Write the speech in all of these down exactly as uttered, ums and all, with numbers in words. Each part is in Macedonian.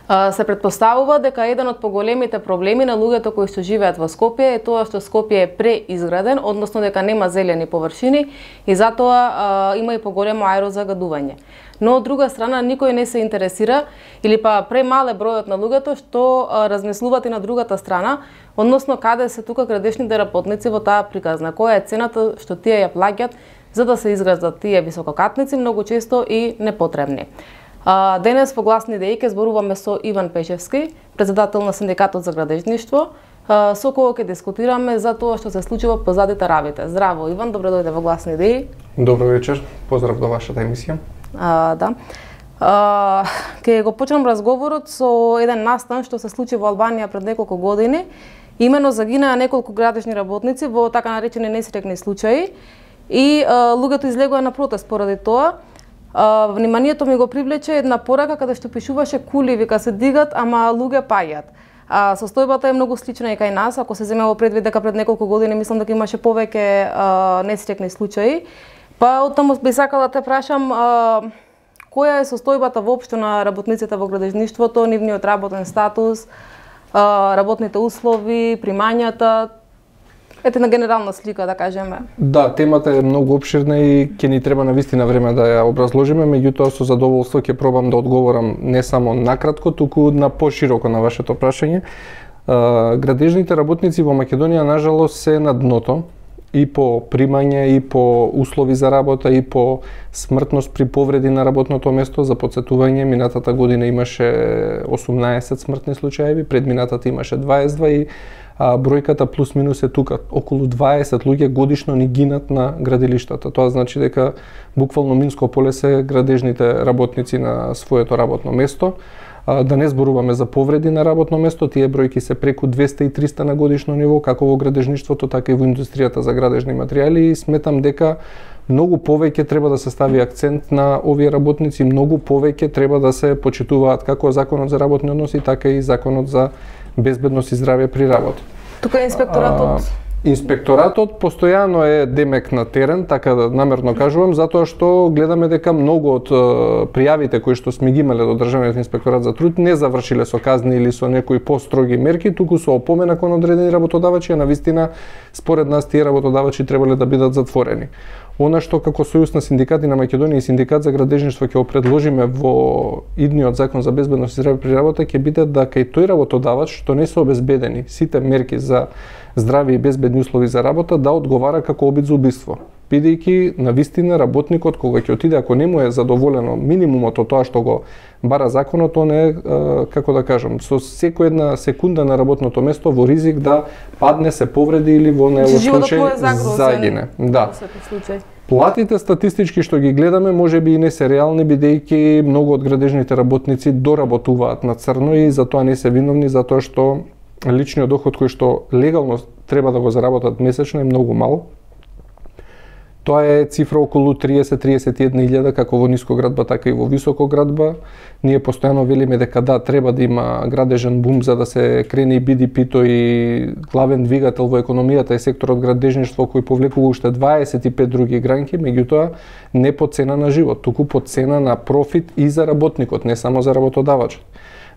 Се претпоставува дека еден од поголемите проблеми на луѓето кои што живеат во Скопје е тоа што Скопје е преизграден, односно дека нема зелени површини и затоа а, има и поголемо аерозагадување. Но од друга страна никој не се интересира или па премале бројот на луѓето што а, размислуваат и на другата страна, односно каде се тука градежните работници во таа приказна, која е цената што тие ја плаќаат за да се изградат тие висококатници, многу често и непотребни. А, денес во гласни идеи ќе зборуваме со Иван Пешевски, председател на Синдикатот за градежништво, а, со кој ќе дискутираме за тоа што се случува позадите равите. Здраво Иван, добро дојде во гласни идеи. Добро вечер, поздрав до вашата емисија. А, да. А, ќе го почнам разговорот со еден настан што се случи во Албанија пред неколку години. Имено загинаа неколку градежни работници во така наречени несреќни случаи и а, луѓето излегоа на протест поради тоа. Uh, вниманието ми го привлече една порака каде што пишуваше кули вика се дигат, ама луѓе паѓаат. Uh, состојбата е многу слична и кај нас, ако се земе во предвид дека пред неколку години мислам дека имаше повеќе uh, несреќни случаи. Па оттаму би сакала да те прашам uh, која е состојбата воопшто на работниците во градежништвото, нивниот работен статус, uh, работните услови, примањата. Ете на генерална слика, да кажеме. Да, темата е многу обширна и ќе ни треба навистина време да ја образложиме, меѓутоа со задоволство ќе пробам да одговорам не само накратко, туку на пошироко на вашето прашање. Градежните работници во Македонија нажалост се на дното и по примање, и по услови за работа, и по смртност при повреди на работното место. За потсетување, минатата година имаше осумнаесет смртни случаи, предминатата имаше дваесет и два и а, бројката плюс минус е тука. Околу дваесет луѓе годишно ни гинат на градилиштата. Тоа значи дека буквално минско поле се градежните работници на своето работно место. А, да не зборуваме за повреди на работно место, тие бројки се преку двесте и триста на годишно ниво, како во градежништвото, така и во индустријата за градежни материјали, и сметам дека многу повеќе треба да се стави акцент на овие работници, многу повеќе треба да се почитуваат како законот за работни односи, така и законот за безбедност и здравје при работа. Тука е инспекторатот. А, инспекторатот постојано е демек на терен, така да намерно кажувам, затоа што гледаме дека многу од пријавите кои што сме ги имале до Државниот инспекторат за труд не завршиле со казни или со некои построги мерки, туку со опомена кон одредени работодавачи, а навистина според нас тие работодавачи требале да бидат затворени. Она што како Сојуз на синдикати на Македонија и Синдикат за градежништво ќе го предложиме во идниот закон за безбедност и здравје при работа ќе биде да кај тој работодавач што не се обезбедени сите мерки за здравје и безбедни услови за работа да одговара како обид за убиство. Бидејќи навистина работникот кога ќе отиде, ако не му е задоволено минимумот од тоа што го бара законот, он е, како да кажам, со секоја една секунда на работното место во ризик да падне, се повреди или во најлош случај загине. Да. Платите статистички што ги гледаме можеби и не се реални, бидејќи многу од градежните работници доработуваат на црно и затоа не се виновни, затоа што личниот доход кој што легално треба да го заработат месечно е многу мал. Тоа е цифра околу триесет до триесет и една илјада како во нискоградба, така и во високоградба. Ние постојано велиме дека да, треба да има градежен бум за да се крени и Би Ди Пи-то и главен двигател во економијата е секторот градежништво кој повлекува уште дваесет и пет други гранки, меѓутоа не по цена на живот, туку по цена на профит и за работникот, не само за работодавачот.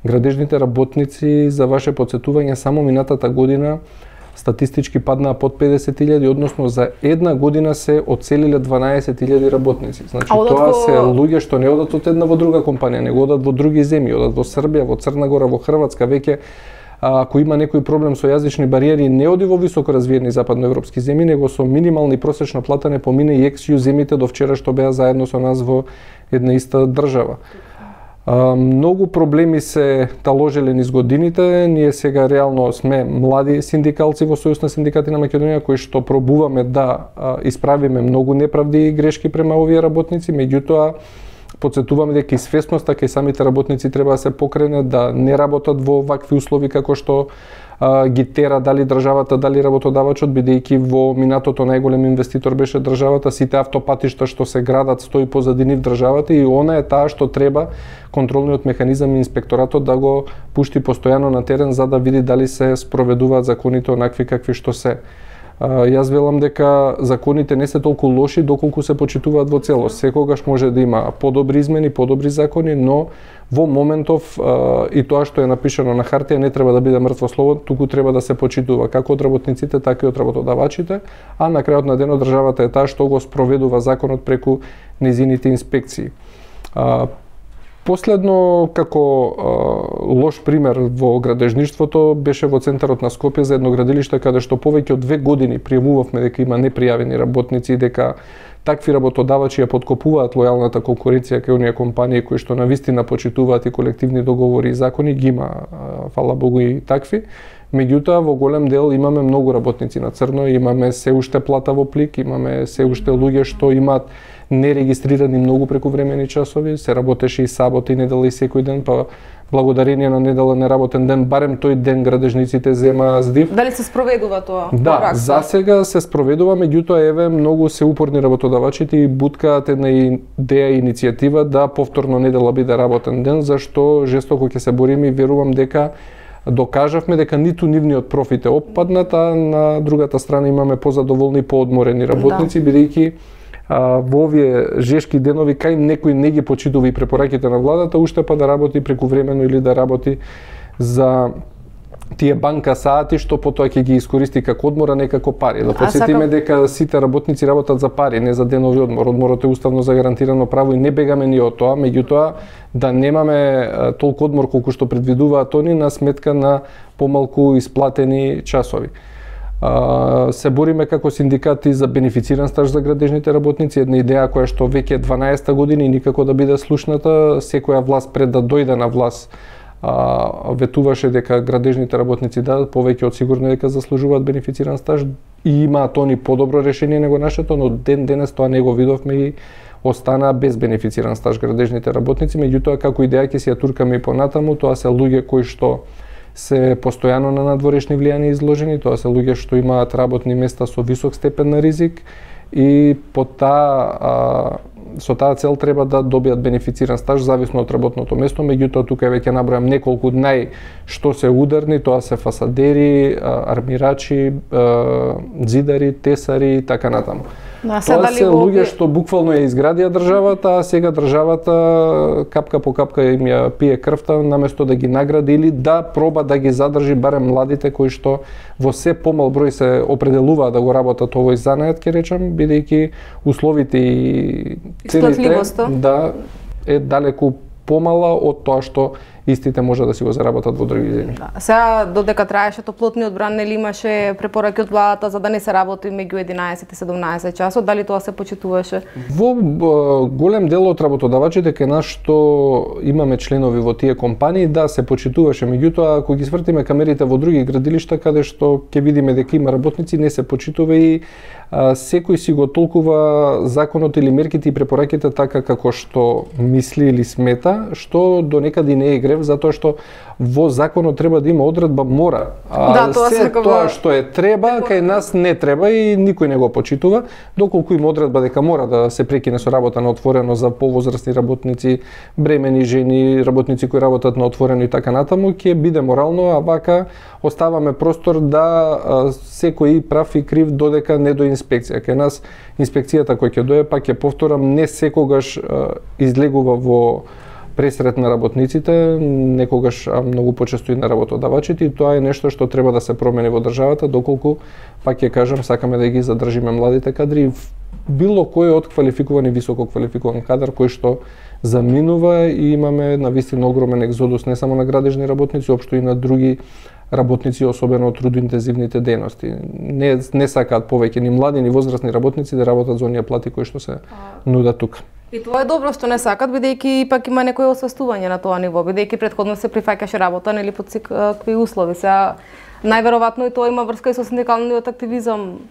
Градежните работници, за ваше потсетување, само минатата година статистички паднаа под педесет илјади, односно за една година се одселиле дванаесет илјади работници. Значи тоа се луѓе што не одат од една во друга компанија, него одат во други земји, одат во Србија, во Црна Гора, во Хрватска, веќе ако има некој проблем со јазични бариери, не оди во високо развиени западноевропски земји, него со минимална и просечна плата не помине и екс-ју земјите до вчера што беа заедно со нас во една иста држава. Uh, многу проблеми се таложеле низ годините. Ние сега реално сме млади синдикалци во Сојуз на синдикати на Македонија кои што пробуваме да uh, исправиме многу неправди и грешки према овие работници, меѓутоа потсетуваме дека и свесноста кај самите работници треба да се покрене, да не работат во вакви услови како што а, ги тера дали државата, дали работодавачот, бидејќи во минатото најголем инвеститор беше државата, сите автопатишта што се градат стои позади нив државата и она е таа што треба контролниот механизам и инспекторатот да го пушти постојано на терен за да види дали се спроведуваат законите онакви какви што се. Јас велам дека законите не се толку лоши доколку се почитуваат во целост. Секогаш може да има подобри измени, подобри закони, но во моментов и тоа што е напишано на хартија не треба да биде мртво слово, туку треба да се почитува како од работниците, така и од работодавачите, а на крајот на денот државата е таа што го спроведува законот преку нејзините инспекции. Последно, како а, лош пример во градежништвото, беше во центарот на Скопје за едно градилиште каде што повеќе од две години пријавувавме дека има непријавени работници и дека такви работодавачи ја подкопуваат лојалната конкуренција кај оние компании кои што навистина почитуваат и колективни договори и закони, ги има, фала Богу, и такви. Меѓутоа, во голем дел имаме многу работници на црно, имаме се уште плата во плик, имаме се уште луѓе што имаат нерегистрирани многу прекувремени часови, се работеше и сабота и недела и секој ден, па благодарение на недела неработен ден, барем тој ден градежниците зема здив. Дали се спроведува тоа? Да, за сега се спроведува, меѓутоа еве многу се упорни работодавачите и буткаат една идеја и иницијатива да повторно недела биде работен ден, зашто жестоко ќе се бориме и верувам дека докажавме дека ниту нивниот профит е опаднат, а на другата страна имаме позадоволни и поодморени работници, да, бидејќи во овие жешки денови кај некој не ги почитува и препораките на владата, уште па да работи прекувремено или да работи за тие банка сати што потоа ќе ги искористи како одмор, а не како пари. Да потсетиме сакам... дека сите работници работат за пари, не за денови одмор. Одморот е уставно загарантирано право и не бегаме ни од тоа, меѓутоа да немаме толку одмор колку што предвидуваат они на сметка на помалку исплатени часови. Се бориме како синдикати за бенефициран стаж за градежните работници, една идеја која што веќе е дванаесета година и никако да биде слушната. Секоја власт пред да дојде на власт ветуваше дека градежните работници да повеќе од сигурно дека заслужуваат бенефициран стаж и имаат они подобро решение него нашето, но ден денес тоа не го видовме и остана без бенефициран стаж градежните работници. Меѓутоа како идеја ќе си ја туркаме и понатаму, тоа се луѓе кои што се постојано на надворешни влијани изложени, тоа се луѓе што имаат работни места со висок степен на ризик и по таа со таа цел треба да добијат бенефициран стаж зависно од работното место, меѓутоа тука веќе набројам неколку нај што се ударни, тоа се фасадери, армирачи, ѕидари, тесари и така натаму. Да, тоа се луѓе што буквално ја изградија државата, а сега државата капка по капка им ја пие крвта наместо да ги награди или да проба да ги задржи барем младите кои што во се помал број се определуваат да го работат овој занает, ќе речам, бидејќи условите и цените да е далеку помала од тоа што истите може да си го заработат во други земји. Да. Сега додека траеше топлотниот бран, нели имаше препораки од владата за да не се работи меѓу единаесет и седумнаесет часот, дали тоа се почитуваше? Во голем дел од работодавачите кај нас што имаме членови во тие компании, да, се почитуваше, меѓутоа ако ги свртиме камерите во други градилишта каде што ќе видиме дека има работници, не се почитува и а, секој си го толкува законот или мерките и препораките така како што мисли или смета, што до некаде не е грев, затоа што во законот треба да има одредба мора. А да, тоа се тоа што е треба, кај нас не треба и никој не го почитува, доколку има одредба дека мора да се прекине со работа на отворено за повозрасни работници, бремени жени, работници кои работат на отворено и така натаму, ќе биде морално, а вака оставаме простор да секој прав и крив додека не до инспекција. Кај нас инспекцијата која ќе дое, пак ќе повторам, не секогаш излегува во пресрет на работниците, некогаш многу почесто и на работодавачите, и тоа е нешто што треба да се промени во државата, доколку, пак ќе кажам, сакаме да ги задржиме младите кадри, било кој од квалификуван и високо квалификуван кадар кој што заминува и имаме навистина огромен екзодус не само на градежни работници, општо и на други работници, особено од трудоинтензивните дејности. Не, не сакаат повеќе ни млади, ни возрастни работници да работат за оние плати кои што се нудат тука. И тоа е добро што не сакат, бидејќи пак има некој освестување на тоа ниво, бидејќи претходно се прифаќаше работа нели под секакви услови. Сега најверојатно и тоа има врска и со синдикалниот активизам.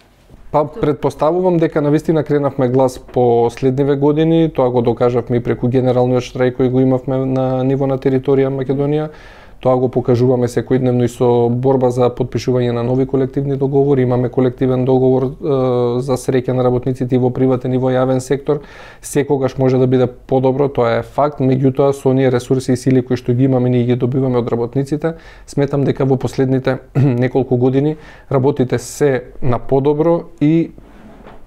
Па претпоставувам дека навистина кренавме глас по следниве години, тоа го докажавме и преку генералниот штрајк кој го имавме на ниво на територија Македонија. Тоа го покажуваме секојдневно и со борба за подпишување на нови колективни договори. Имаме колективен договор е, за среќа на работниците и во приватен и во јавен сектор. Секогаш може да биде подобро, тоа е факт, меѓутоа со оние ресурси и сили кои што ги имаме, ние ги добиваме од работниците. Сметам дека во последните неколку години работите се на подобро и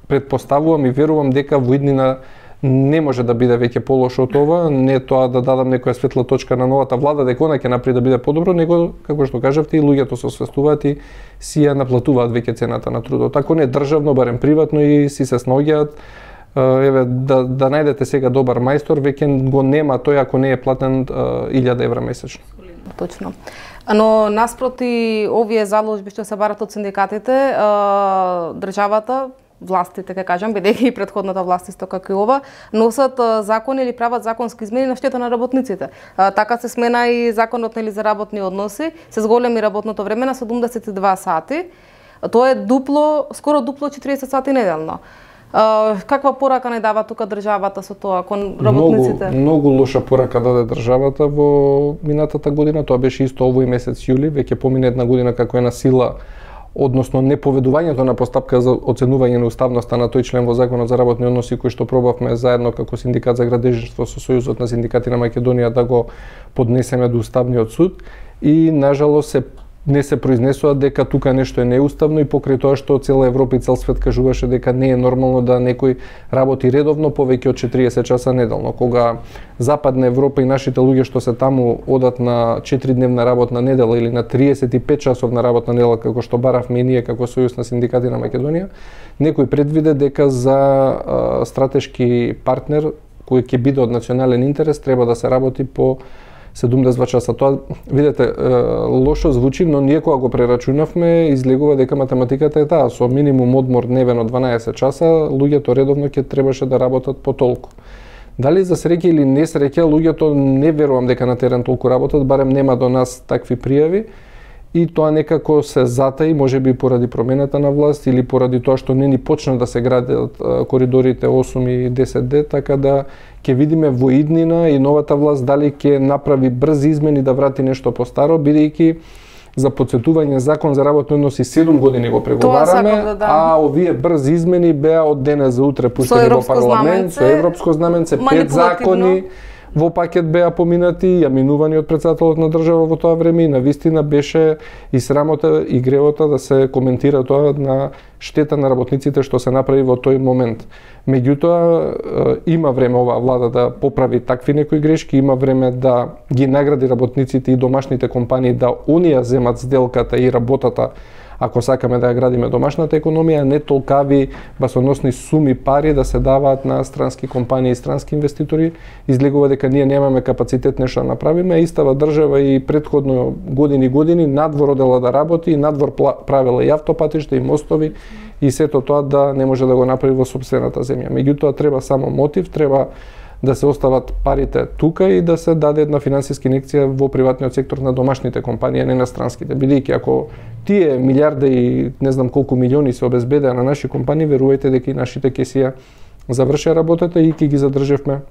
предпоставувам и верувам дека во иднина не може да биде веќе полошо од ова, не тоа да дадам некоја светла точка на новата влада дека она ќе направи да биде подобро, него како што кажавте и луѓето се освестуваат и си ја наплатуваат веќе цената на трудот. Ако не државно, барем приватно и си се снаоѓаат. Еве да да најдете сега добар мајстор, веќе го нема тој ако не е платен илјада евра месечно. Точно. Но наспроти овие заложби што се барат од синдикатите, државата, властите, ке кажам, бидејќи и претходната власт исто како и ова, носат закони или прават законски измени на штета на работниците. Така се смена и законот нели за работни односи, се зголеми работното време на седумдесет и два сати. Тоа е дупло, скоро дупло четириесет сати неделно. Каква порака не дава тука државата со тоа кон работниците? Многу, многу лоша порака даде државата во минатата година, тоа беше исто овој месец јули, веќе помина една година како е на сила, односно неповедувањето на постапка за оценување на уставноста на тој член во Законот за работни односи кој што пробавме заедно како синдикат за градежништво со Сојузот на синдикати на Македонија да го поднесеме до Уставниот суд и нажалост се не се произнесува дека тука нешто е неуставно и покрај тоа што цела Европа и цел свет кажуваше дека не е нормално да некој работи редовно повеќе од четириесет часа неделно. Кога Западна Европа и нашите луѓе што се таму одат на четиридневна работна недела или на триесет и пет часовна работна недела како што баравме и ние како Сојуз на синдикати на Македонија, некој предвиде дека за а, стратешки партнер кој ќе биде од национален интерес треба да се работи по седумдесет и два часа. Тоа, видете, лошо звучи, но ние кога го прерачунавме, излегува дека математиката е таа. Со минимум одмор дневен од дванаесет часа, луѓето редовно ќе требаше да работат по толку. Дали за среќа или не среќа, луѓето не верувам дека на терен толку работат, барем нема до нас такви пријави. И тоа некако се затаи, можеби поради промената на власт или поради тоа што не ни почна да се градат коридорите осум и десет Д, така да ќе видиме во иднина и новата власт дали ќе направи брзи измени да врати нешто постаро, бидејќи за подсетување закон за работни односи седум години го преговараме, да, да. А овие брзи измени беа од денес за утре пуштени во парламент, со европско знаменце, пет закони во пакет беа поминати, ја минувани од претседателот на држава во тоа време и навистина беше и срамота и гревота да се коментира тоа на штета на работниците што се направи во тој момент. Меѓутоа, има време оваа влада да поправи такви некои грешки, има време да ги награди работниците и домашните компании да оние земат сделката и работата ако сакаме да ја градиме домашната економија, не толкави басоносни суми пари да се даваат на странски компании и странски инвеститори, излегува дека ние немаме капацитет нешто да направиме, а истава држава и претходно години години надвор одела да работи и надвор правела и автопатишта и мостови и сето тоа да не може да го направи во сопствената земја. Меѓутоа треба само мотив, треба да се остават парите тука и да се даде една финансиска инекција во приватниот сектор на домашните компании, не на странските. Бидејќи ако тие милиарда и не знам колку милиони се обезбедеа на наши компании, верувајте дека и нашите ќе си ја завршеа работата и ќе ги задржевме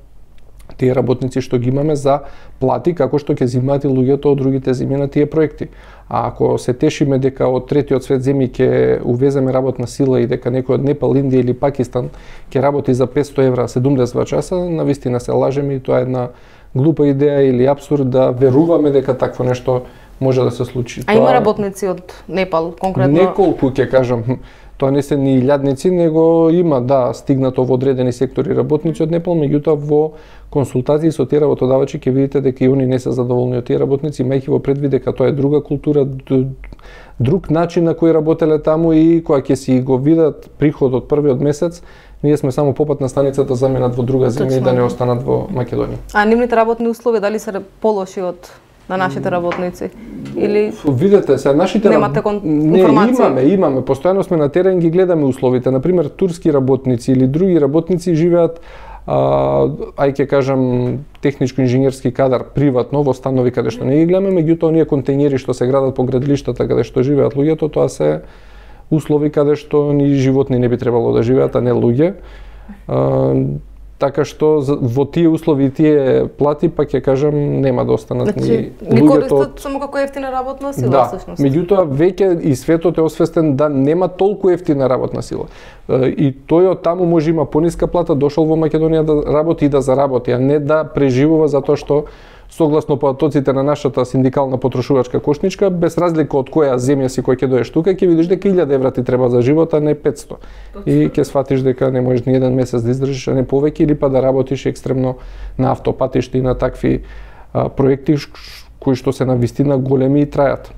тие работници што ги имаме за плати, како што ќе зимаат и луѓето од другите земји на тие проекти. А ако се тешиме дека од третиот свет земји ќе увеземе работна сила и дека некој од Непал, Индија или Пакистан ќе работи за петсто евра седумдесет и два часа, навистина се лажеме и тоа е една глупа идеја или апсурд да веруваме дека такво нешто може да се случи. А тоа... има работници од Непал конкретно? Неколку ќе кажам. Тоа не се ни илјадници, него има, да, стигнато во одредени сектори работници од Непал, меѓутоа во консултации со тие работодавачи ќе видите дека и они не се задоволни од тие работници, имајќи во предвид дека тоа е друга култура, друг начин на кој работеле таму и кога ќе си го видат приход од првиот месец, ние сме само попатна станица да заменат во друга земја и да не останат во Македонија. А нивните работни услови дали се полоши од на нашите работници или видете се нашите немате кон... не имаме имаме постојано сме на терен, ги гледаме условите, на пример турски работници или други работници живеат а, ај ќе кажам техничко-инженерски кадар приватно во станови каде што не ги гледаме, меѓутоа оние контејнери што се градат по градилиштата каде што живеат луѓето, тоа се услови каде што ни животни не би требало да живеат, а не луѓе. А, Така што во тие услови и тие плати, па ќе кажам, нема да останат значи, ни луѓето. Ги користат само како ефтина работна сила, да, всушност. Меѓутоа, веќе и светот е освестен да нема толку ефтина работна сила. И тој од таму може има пониска плата, дошол во Македонија да работи и да заработи, а не да преживува затоа што согласно потоците на нашата синдикална потрошувачка кошничка, без разлика од која земја си кој ќе доеш тука, ќе видиш дека илјада евра ти треба за живот, а не петсто. И ќе сфатиш дека не можеш ни еден месец да издржиш, а не повеќе, или па да работиш екстремно на автопатишта и на такви а, проекти кои што се навистина големи и трајат.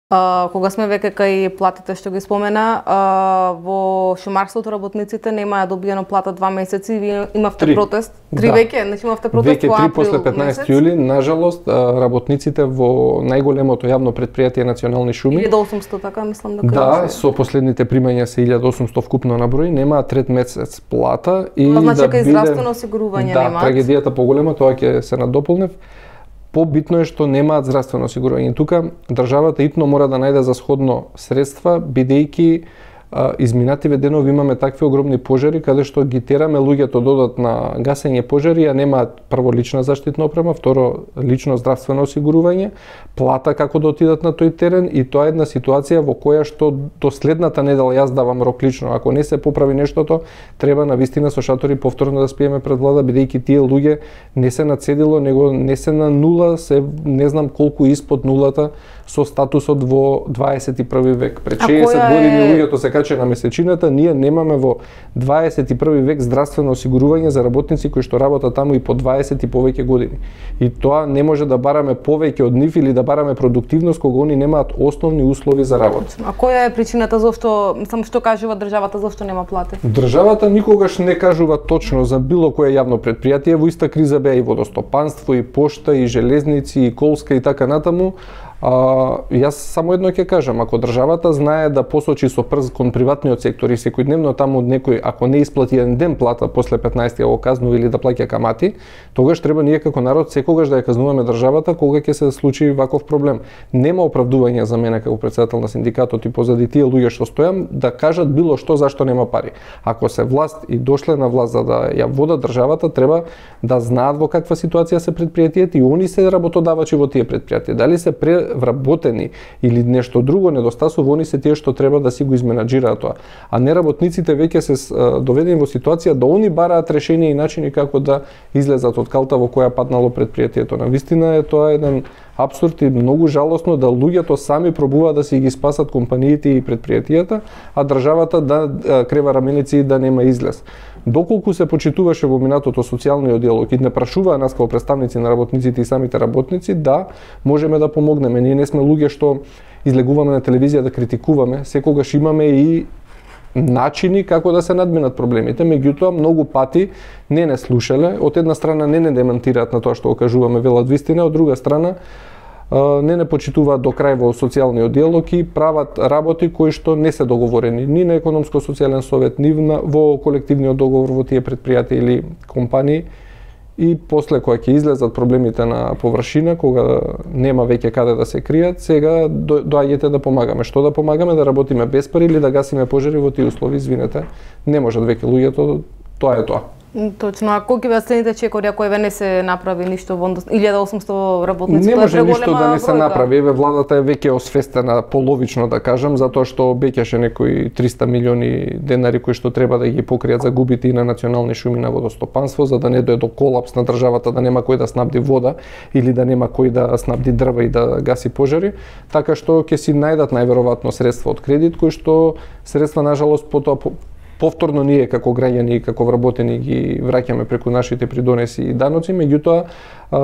А, кога сме веќе кај платите што ги спомена, а, во шумарството работниците немаа добиено плата два месеци, вие имавте Три. протест, три Да. веќе, значи имавте протест Веќе во три април после петнаесети јули, нажалост, работниците во најголемото јавно предпријатие Национални шуми, илјада и осумсто, така мислам да да, кажа. со последните примања се илјада и осумсто вкупно на број, немаат трет месец плата и Това значи да дека и биде здравствено осигурување да, немаат. трагедијата поголема, тоа ќе се надополнев. Побитно е што немаат здравствено осигурување. Тука државата итно мора да најде за сходно средства, бидејќи а, изминативе денови имаме такви огромни пожари каде што ги тераме луѓето додат на гасење пожари, а немаат прво лична заштитна опрема, второ лично здравствено осигурување, плата како да отидат на тој терен, и тоа е една ситуација во која што до следната недела јас давам рок лично, ако не се поправи нештото, треба навистина со шатори повторно да спиеме пред влада, бидејќи тие луѓе не се на цедило, него не се на нула, се не знам колку испод нулата со статусот во дваесет и први век. Пред шеесет години е... луѓето се каче на месечината, ние немаме во дваесет и први век здравствено осигурување за работници кои што работат таму и по дваесет и повеќе години. И тоа не може да бараме повеќе од нив или да бараме продуктивност кога они немаат основни услови за работа. А која е причината зошто, само што кажува државата зошто нема плати? Државата никогаш не кажува точно за било кое јавно предпријатие, во иста криза беа и водостопанство, и пошта, и железници, и колска и така натаму. А, јас само едно ќе кажам, ако државата знае да посочи со прст кон приватниот сектор и секојдневно таму некој, ако не исплати еден ден плата после петнаесет го казнува или да плаќа камати, тогаш треба ние како народ секогаш да ја казнуваме државата кога ќе се случи ваков проблем. Нема оправдување за мене како претседател на синдикатот и позади тие луѓе што стојам да кажат било што зашто нема пари. Ако се власт и дошле на власт за да ја водат државата, треба да знаат во каква ситуација се предпријатието и они се работодавачи во тие предпријатија. Дали се вработени или нешто друго недостасува, они се тие што треба да си го изменаџираат тоа. А не работниците веќе се доведени во ситуација да они бараат решенија и начини како да излезат од калта во која паднало предпријатието. Навистина е тоа еден апсурд и многу жалосно да луѓето сами пробуваат да си ги спасат компаниите и предпријатијата, а државата да крева раменици и да нема излез. Доколку се почитуваше во минатото социјалниот диалог и не прашуваа нас како представници на работниците и самите работници, да, можеме да помогнеме. Ние не сме луѓе што излегуваме на телевизија да критикуваме, секогаш имаме и начини како да се надминат проблемите, меѓутоа многу пати не не слушале, од една страна не не демантираат на тоа што го кажуваме, велат вистина, од друга страна не не почитуваат до крај во социјалниот диалог и прават работи кои што не се договорени ни на економско-социјален совет, ни во колективниот договор во тие предпријатија или компании. И после кога ќе излезат проблемите на површина, кога нема веќе каде да се кријат, сега доаѓате да помагаме. Што да помагаме? Да работиме без пари или да гасиме пожари во тие услови? Извинете, не можат веќе луѓето, тоа е тоа. Точно, а колку ќе следните чекори ако еве не се направи ништо во илјада и осумсто работници? Не може ништо да не се бројка. направи. Еве владата е веќе освестена, половично да кажам, затоа што обеќаше некои триста милиони денари кои што треба да ги покријат загубите и на Национални шуми на водостопанство, за да не дое до колапс на државата, да нема кој да снабди вода или да нема кој да снабди дрва и да гаси пожари, така што ќе си најдат најверојатно средства од кредит кои што средства нажалост потоа повторно ние како граѓани и како вработени ги враќаме преку нашите придонеси и даноци, меѓутоа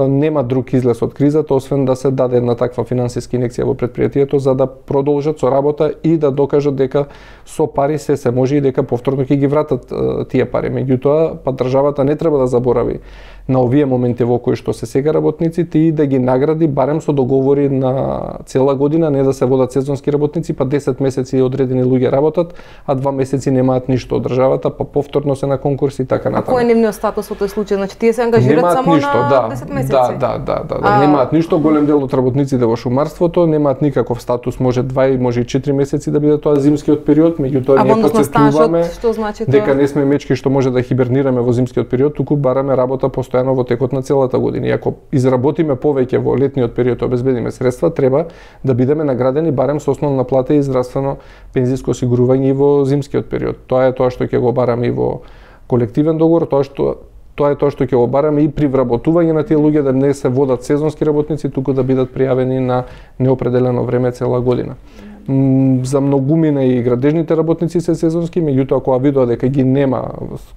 нема друг излез од кризата освен да се даде една таква финансиска инекција во предпријатието за да продолжат со работа и да докажат дека со пари се се може и дека повторно ќе ги вратат тие пари. Меѓутоа, па државата не треба да заборави на овие моменти во кои што се сега работниците и да ги награди барем со договори на цела година, не да се водат сезонски работници, па десет месеци одредени луѓе работат, а два месеци немаат ништо од државата, па повторно се на конкурси и така натаму. А кој е нивниот статус во тој случај? Значи тие се ангажираат немаат само ништо, на да. десет месеци. Да, да, да, да, да. А... немаат ништо. Голем дел од работниците во шумарството немаат никаков статус, може два и може и четири месеци да биде тоа зимскиот период, меѓутоа ние потсетуваме што значи тоа? дека не сме мечки што може да хибернираме во зимскиот период, туку бараме работа постојано во текот на целата година. И ако изработиме повеќе во летниот период, обезбедиме средства, треба да бидеме наградени барем со основна плата и здравствено пензиско осигурување и во зимскиот период. Тоа е тоа што ќе го бараме и во колективен договор, тоа што тоа е тоа што ќе го бараме и при вработување на тие луѓе да не се водат сезонски работници, туку да бидат пријавени на неопределено време цела година. За многумина и градежните работници се сезонски, меѓутоа кога видоа дека ги нема,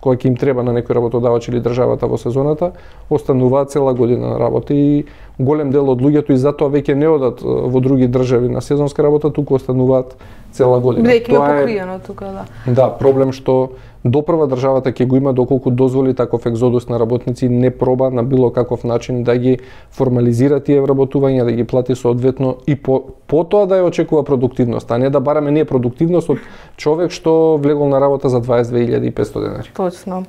кога ќе им треба на некој работодавач или државата во сезоната, остануваат цела година на работа и голем дел од луѓето и затоа веќе не одат во други држави на сезонска работа, туку остануваат цела година. Бидејќи има покриено тука, да. Да, проблем што допрва државата ќе го има доколку дозволи таков екзодус на работници, не проба на било каков начин да ги формализира тие вработувања, да ги плати соодветно и по потоа да ја очекува продуктивност, а не да бараме ние продуктивност од човек што влегол на работа за дваесет и две илјади и петстотини денари. Точно.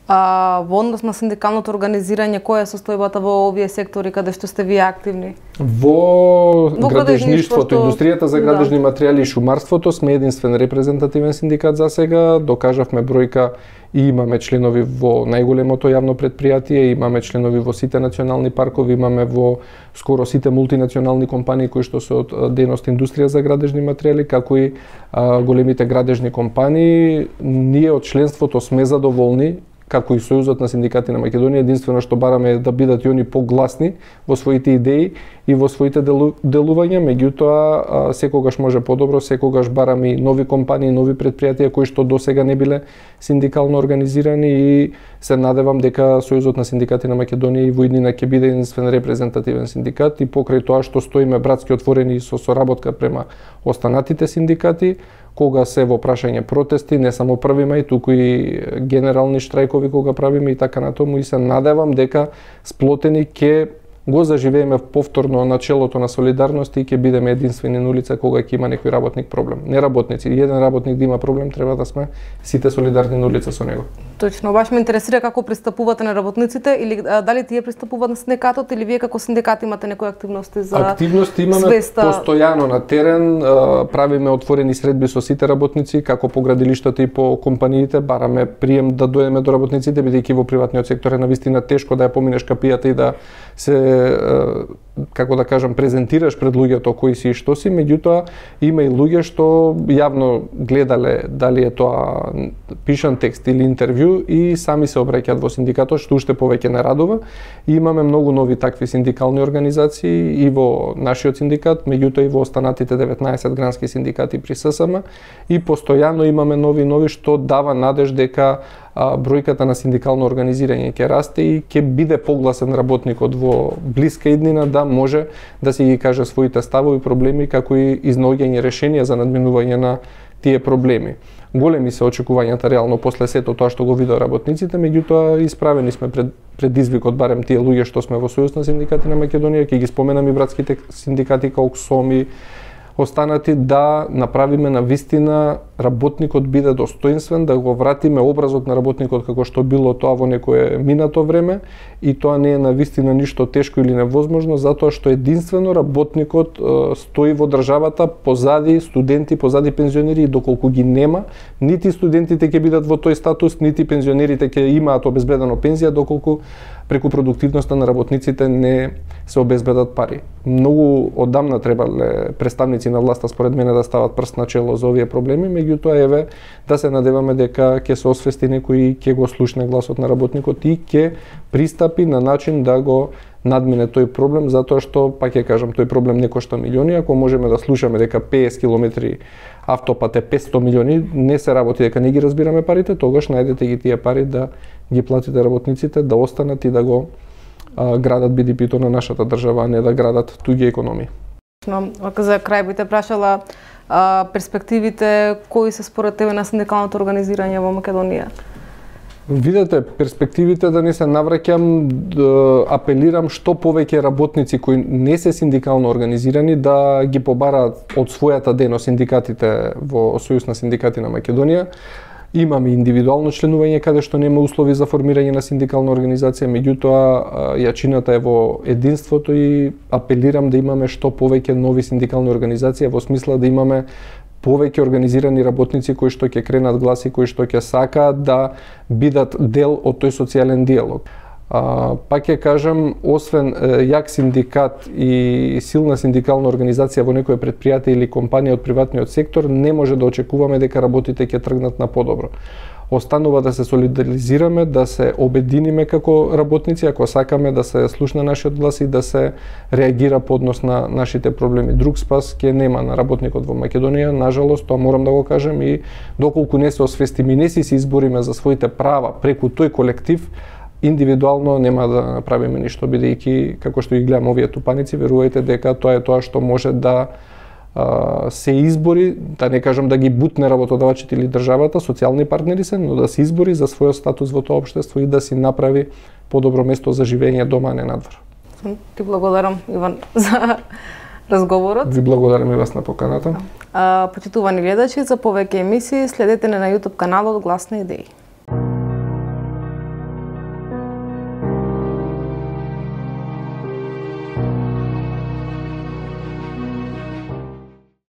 А, во однос на синдикалното организирање, која е состојбата во овие сектори каде што сте вие активни? Во, во градежништвото, индустријата за градежни да. материјали и шумарството сме единствен репрезентативен синдикат за сега. Докажавме бројка и имаме членови во најголемото јавно предпријатие, имаме членови во сите национални паркови, имаме во скоро сите мултинационални компании кои што се од дејност индустрија за градежни материјали, како и а, големите градежни компании. Ние од членството сме задоволни, како и Сојузот на синдикати на Македонија, единствено што бараме е да бидат и они погласни во своите идеи и во своите делу, делувања, меѓутоа секогаш може подобро, секогаш бараме и нови компании, нови предпријатија кои што досега не биле синдикално организирани и се надевам дека Сојузот на синдикати на Македонија и во иднина ќе биде единствен репрезентативен синдикат и покрај тоа што стоиме братски отворени со соработка према останатите синдикати, кога се во прашање протести, не само први мај, туку и генерални штрајкови кога правиме и така натаму, и се надевам дека сплотени ќе го заживееме повторно начелото на солидарност и ќе бидеме единствени на улица кога ќе има некој работник проблем. Не работници, еден работник да има проблем, треба да сме сите солидарни на улица со него. Точно, баш ме интересира како пристапувате на работниците или а, дали тие пристапуваат на синдикатот или вие како синдикат имате некои активности за активности имаме свеста... постојано на терен, а, правиме отворени средби со сите работници, како по градилиштата и по компаниите, бараме прием да дојдеме до работниците, бидејќи во приватниот сектор е навистина тешко да ја поминеш капијата и да се како да кажам презентираш пред луѓето кои си и што си, меѓутоа има и луѓе што јавно гледале дали е тоа пишан текст или интервју и сами се обраќаат во синдикатот, што уште повеќе не радува. И имаме многу нови такви синдикални организации и во нашиот синдикат, меѓутоа и во останатите деветнаесет грански синдикати при С С М и постојано имаме нови нови што дава надеж дека а, бројката на синдикално организирање ќе расте и ќе биде погласен работникот во блиска иднина да може да си ги каже своите ставови, проблеми, како и изнаоѓање решенија за надминување на тие проблеми. Големи се очекувањата реално после сето тоа што го видеа работниците, меѓутоа исправени сме пред предизвикот, барем тие луѓе што сме во Сојуз на синдикати на Македонија, ќе ги споменам и братските синдикати како КСОМИ, останати, да направиме на вистина работникот биде достоинствен, да го вратиме образот на работникот како што било тоа во некое минато време, и тоа не е на вистина ништо тешко или невозможно, затоа што единствено работникот е, стои во државата позади студенти, позади пензионери, и доколку ги нема, нити студентите ќе бидат во тој статус, нити пензионерите ќе имаат обезбедено пензија, доколку преку продуктивноста на работниците не се обезбедат пари. Многу одамна требале представници на власта според мене да стават прст на чело за овие проблеми, меѓутоа еве да се надеваме дека ќе се освести некој и ќе го слушне гласот на работникот и ќе пристапи на начин да го надмине тој проблем, затоа што, пак ќе кажам, тој проблем не кошта милиони. Ако можеме да слушаме дека петдесет километри автопат е петстотини милиони, не се работи дека не ги разбираме парите, тогаш најдете ги тие пари да ги платите работниците, да останат и да го а, градат Би Ди Пи-то на нашата држава, а не да градат туѓи економии. За крај би те прашала а, перспективите кои се според тебе на синдикалното организирање во Македонија? Видете, перспективите, да не се навраќам, да апелирам што повеќе работници кои не се синдикално организирани да ги побараат од својата дејност синдикатите во Сојуз на синдикати на Македонија. Имаме индивидуално членување каде што нема услови за формирање на синдикална организација, меѓутоа јачината е во единството и апелирам да имаме што повеќе нови синдикални организации во смисла да имаме повеќе организирани работници кои што ќе кренат глас и кои што ќе сакаат да бидат дел од тој социјален диалог. А, пак ќе кажам, освен е, јак синдикат и силна синдикална организација во некоја предпријатие или компанија од приватниот сектор, не може да очекуваме дека работите ќе тргнат на подобро. Останува да се солидаризираме, да се обединиме како работници, ако сакаме да се слушне нашиот глас и да се реагира по однос на нашите проблеми. Друг спас ќе нема на работникот во Македонија, нажалост, тоа морам да го кажем, и доколку не се освестиме и не си се избориме за своите права преку тој колектив, индивидуално нема да направиме ништо, бидејќи како што ги гледам овие тупаници, верувајте дека тоа е тоа што може да а, се избори, да не кажам да ги бутне работодавачите или државата, социјални партнери се, но да се избори за својот статус во тоа општество и да си направи подобро место за живење дома, а не надвор. Ти благодарам, Иван, за разговорот. Ви благодарам и вас на поканата. А, почитувани гледачи, за повеќе емисии следете на YouTube каналот Глас на идеи.